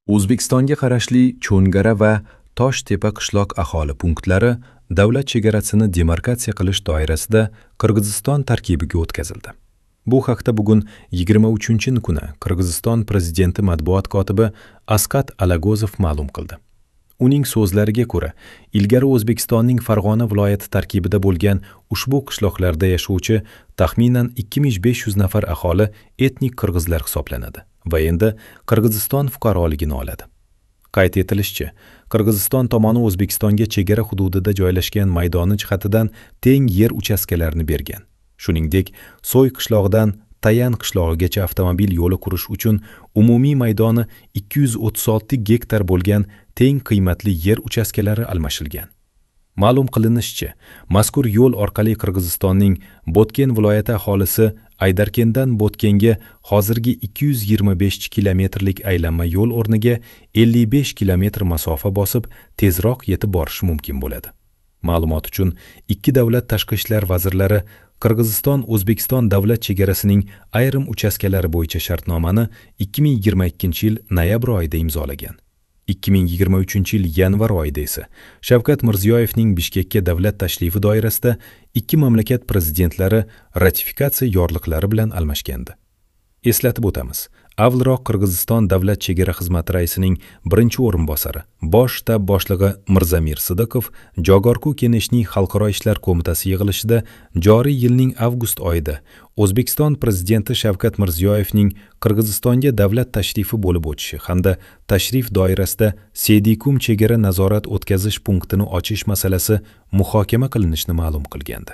O'zbekistonga qarashli Cho'ngara va Toshtepa qishloq aholi punktlari davlat chegarasini demarkatsiya qilish doirasida Qirg'iziston tarkibiga o'tkazildi. Bu haqda bugun 23 kuni Qirg'iziston prezidenti matbuot kotibi Asqat Alagozov ma'lum qildi. Uning so'zlariga ko'ra, ilgari O'zbekistonning Farg'ona viloyati tarkibida bo'lgan ushbu qishloqlarda yashovchi taxminan 2500 nafar aholi etnik qirg'izlar hisoblanadi va endi Qirg'iziston fuqaroligini oladi. Qayd etilishicha, Qirg'iziston tomoni O'zbekistonga chegara hududida joylashgan maydoni jihatidan teng yer uchastkalarini bergan. Shuningdek, So'y qishlog'idan Tayan qishlog'igacha avtomobil yo'li qurish uchun umumiy maydoni 236 gektar bo'lgan teng qiymatli yer uchastkalari almashilgan. Ma'lum qilinishicha, mazkur yo'l orqali Qirg'izistonning Botken viloyati aholisi Aydarkendan Botkenga hozirgi 225 kilometrlik aylanma yo'l o'rniga 55 kilometr masofa bosib, tezroq yetib borishi mumkin bo'ladi. Ma'lumot uchun, ikki davlat tashqi ishlar vazirlari Qirg'iziston-O'zbekiston davlat chegarasining ayrim uchastkalari bo'yicha shartnomani 2022-yil noyabr oyida imzolagan. 2023-yil yanvar oyida esa Shavkat Mirziyoyevning Bishkekka davlat tashrifi doirasida ikki mamlakat prezidentlari ratifikatsiya yorliqlari bilan almashgandi. Eslatib o'tamiz, avvalroq Qirg'iziston davlat chegara xizmati raisining birinchi o'rinbosari, bosh shtab boshlig'i Mirzamir Sidiqov Jogorku Keneshning Xalqaro ishlar qo'mitasi yig'ilishida joriy yilning avgust oyida O'zbekiston prezidenti Shavkat Mirziyoyevning Qirg'izistonga davlat tashrifi bo'lib o'tishi hamda tashrif doirasida Sedikum chegara nazorat o'tkazish punktini ochish masalasi muhokama qilinishini ma'lum qilgandi.